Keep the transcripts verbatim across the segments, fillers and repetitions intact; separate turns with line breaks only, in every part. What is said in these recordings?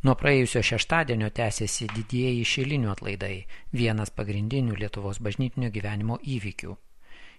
Nuo praėjusio šeštadienio tęsiasi didieji šilinių atlaidai, vienas pagrindinių Lietuvos bažnytinio gyvenimo įvykių.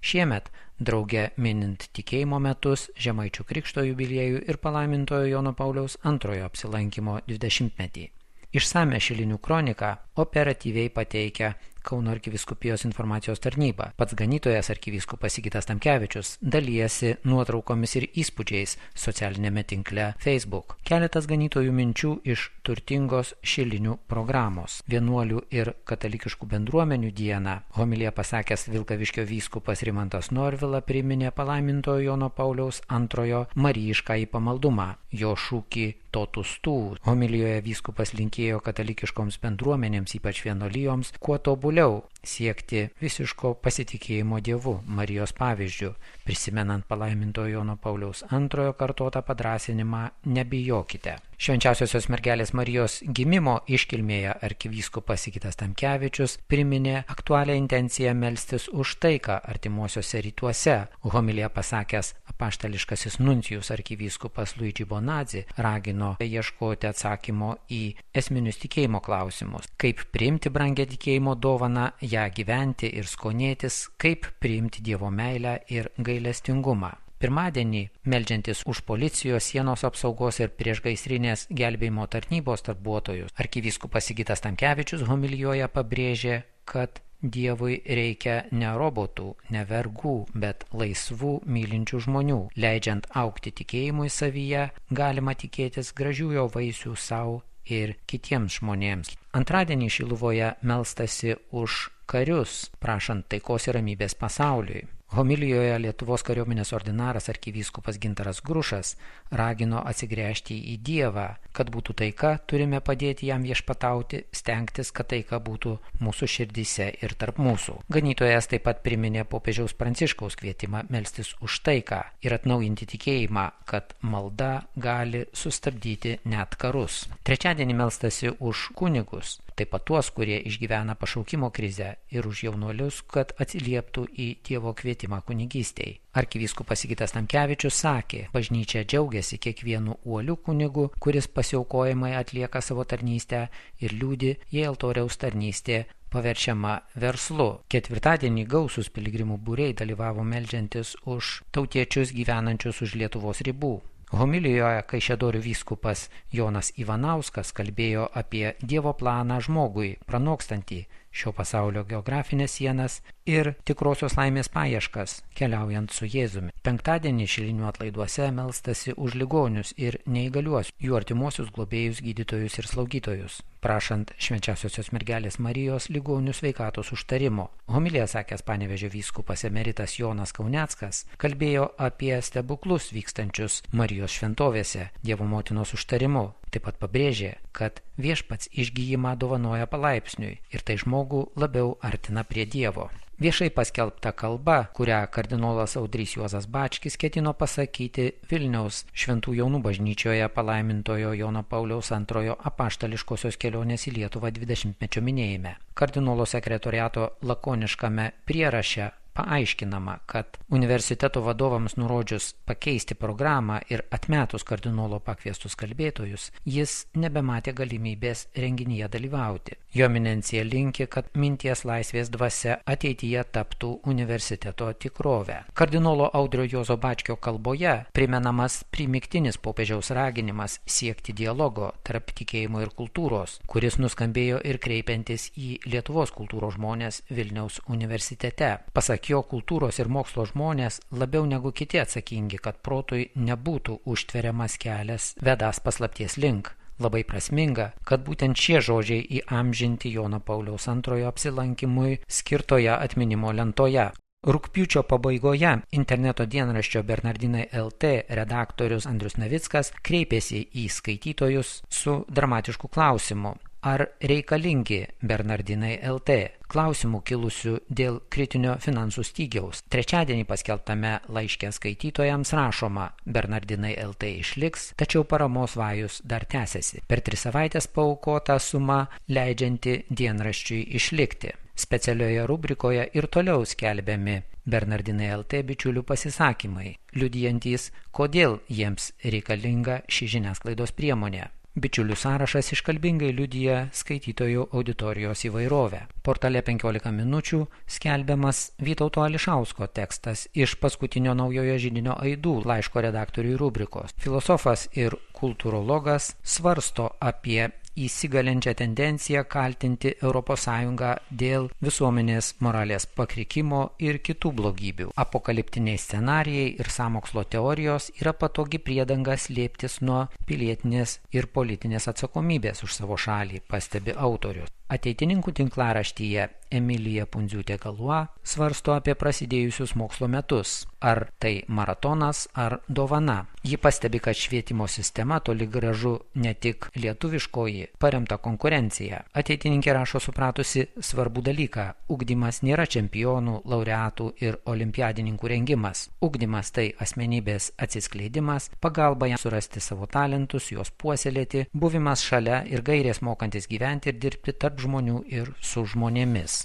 Šiemet, drauge minint tikėjimo metus, Žemaičių krikšto jubiliejų ir palaimintojo Jono Pauliaus antrojo apsilankimo dvidešimtmetį. Išsame šilinių kroniką operatyviai pateikia Kauno arkivyskupijos informacijos tarnyba. Pats ganytojas arkivyskupas Sigitas Tamkevičius dalijasi nuotraukomis ir įspūdžiais socialinėme tinkle Facebook. Keletas ganytojų minčių iš turtingos šilinių programos. Vienuolių ir katalikiškų bendruomenių dieną homiliją pasakęs Vilkaviškio vyskupas Rimantas Norvila priminė palaimintojo Jono Pauliaus antrojo marijiškąjį pamaldumą. Jo šūkį totus tu. Homilijoje vyskupas linkėjo katalikiškoms bendruomenėms, ypač vienuolijoms, kuo tobuliau siekti visiško pasitikėjimo Dievu, Marijos pavyzdžiu, prisimenant palaimintojo Jono Pauliaus antrojo kartotą padrąsinimą nebijokite. Švenčiausiosios mergelės Marijos gimimo iškilmėje arkivyskupas Sigitas Tamkevičius priminė aktualią intenciją melstis už taiką artimuosiuose rytuose. Homiliją pasakęs apaštališkasis nuncijus arkivyskupas Luigi Bonazzi ragino ieškoti atsakymo į esminius tikėjimo klausimus. Kaip priimti brangią tikėjimo dovaną, ją gyventi ir skonėtis, kaip priimti Dievo meilę ir gailestingumą. Pirmadienį, meldžiantis už policijos, sienos apsaugos ir priešgaisrinės gelbėjimo tarnybos darbuotojus, arkivyskupas Sigitas Tamkevičius homilijoje pabrėžė, kad Dievui reikia ne robotų, ne vergų, bet laisvų, mylinčių žmonių. Leidžiant augti tikėjimui savyje, galima tikėtis gražių jo vaisių savo ir kitiems žmonėms. Antradienį Šiluvoje melstasi už karius, prašant taikos ir ramybės pasauliui. Homilijoje Lietuvos kariuomenės ordinaras arkivyskupas Gintaras Grušas ragino atsigręžti į Dievą. Kad būtų taika, turime padėti jam viešpatauti, stengtis, kad taika būtų mūsų širdyse ir tarp mūsų. Ganytojas taip pat priminė popiežiaus Pranciškaus kvietimą melstis už taiką ir atnaujinti tikėjimą, kad malda gali sustabdyti net karus. Trečiadienį melstasi už kunigus, taip pat tuos, kurie išgyvena pašaukimo krizę, ir už jaunuolius, kad atsilieptų į Dievo kvietimą kunigystei. Arkivyskupas Sigitas Tamkevičius sakė, bažnyčia džiaugiasi kiekvienu uoliu kunigu, kuris pasiaukojimai atlieka savo tarnystę ir liūdi, jei altoriaus tarnystė paverčiama verslu. Ketvirtadienį gausus piligrimų būriai dalyvavo meldžiantis už tautiečius gyvenančius už Lietuvos ribų. Homilijoje Kaišiadorių vyskupas Jonas Ivanauskas kalbėjo apie Dievo planą žmogui, pranokstantį šio pasaulio geografinės sienas ir tikrosios laimės paieškas, keliaujant su Jėzumi. Penktadienį šilinių atlaiduose melstasi už ligonius ir neįgaliuosius, jų artimuosius globėjus, gydytojus ir slaugytojus, prašant švenčiausiosios mergelės Marijos ligonių sveikatos užtarimo. Homiliją sakęs Panevėžio vyskupas emeritas Jonas Kauneckas kalbėjo apie stebuklus vykstančius Marijos šventovėse Dievo motinos užtarimu. Taip pat pabrėžė, kad viešpats išgijimą dovanoja palaipsniui ir tai žmogų labiau artina prie Dievo. Viešai paskelbta kalba, kurią kardinolas Audrys Juozas Bačkis ketino pasakyti Vilniaus Šventų Jonų bažnyčioje palaimintojo Jono Pauliaus antrojo apaštališkosios kelionės į Lietuvą dvidešimtmečio minėjime. Kardinolo sekretoriato lakoniškame prieraše paaiškinama, kad universiteto vadovams nurodžius pakeisti programą ir atmetus kardinolo pakviestus kalbėtojus, jis nebematė galimybės renginyje dalyvauti. Jo eminencija linki, kad minties laisvės dvasia ateityje taptų universiteto tikrovę. Kardinolo Audrio Juozo Bačkio kalboje primenamas primygtinis popiežiaus raginimas siekti dialogo tarp tikėjimo ir kultūros, kuris nuskambėjo ir kreipiantis į Lietuvos kultūros žmonės Vilniaus universitete. Pasak jo, kultūros ir mokslo žmonės labiau negu kiti atsakingi, kad protui nebūtų užtveriamas kelias vedąs paslapties link. Labai prasminga, kad būtent šie žodžiai įamžinti Jono Pauliaus antrojo apsilankimui skirtoje atminimo lentoje. Rugpjūčio pabaigoje interneto dienraščio Bernardinai L T redaktorius Andrius Navickas kreipėsi į skaitytojus su dramatišku klausimu. Ar reikalingi Bernardinai L T? Klausimų kilusių dėl kritinio finansų stygiaus. Trečiadienį paskelbtame laiške skaitytojams rašoma, Bernardinai L T išliks, tačiau paramos vajus dar tęsiasi. Per tris savaitės paaukota suma leidžianti dienraščiui išlikti. Specialioje rubrikoje ir toliau skelbiami Bernardinai L T bičiulių pasisakymai, liudijantys, kodėl jiems reikalinga ši žiniasklaidos priemonė. Bičiulių sąrašas iškalbingai liudija skaitytojų auditorijos įvairovę. Portale penkiolika minučių skelbiamas Vytauto Ališausko tekstas iš paskutinio Naujojo židinio aidų laiško redaktoriui rubrikos. Filosofas ir kultūrologas svarsto apie įsigalinčią tendenciją kaltinti Europos Sąjungą dėl visuomenės moralės pakrikimo ir kitų blogybių. Apokaliptiniai scenarijai ir sąmokslo teorijos yra patogi priedanga slėptis nuo pilietinės ir politinės atsakomybės už savo šalį, pastebi autorius. Ateitininkų tinklaraštyje Emilija Pundziūtė-Galua svarsto apie prasidėjusius mokslo metus. Ar tai maratonas, ar dovana. Ji pastebi, kad švietimo sistema toli gražu ne tik lietuviškoji, paremta konkurencija. Ateitininkė rašo supratusi svarbų dalyką. Ugdymas nėra čempionų, laureatų ir olimpiadininkų rengimas. Ugdymas tai asmenybės atsiskleidimas, pagalba jam surasti savo talentus, juos puoselėti, buvimas šalia ir gairės mokantis gyventi ir dirbti tarp žmonių ir su žmonėmis.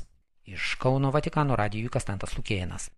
Iš Kauno Vatikano radijui Kastantas Lukėnas.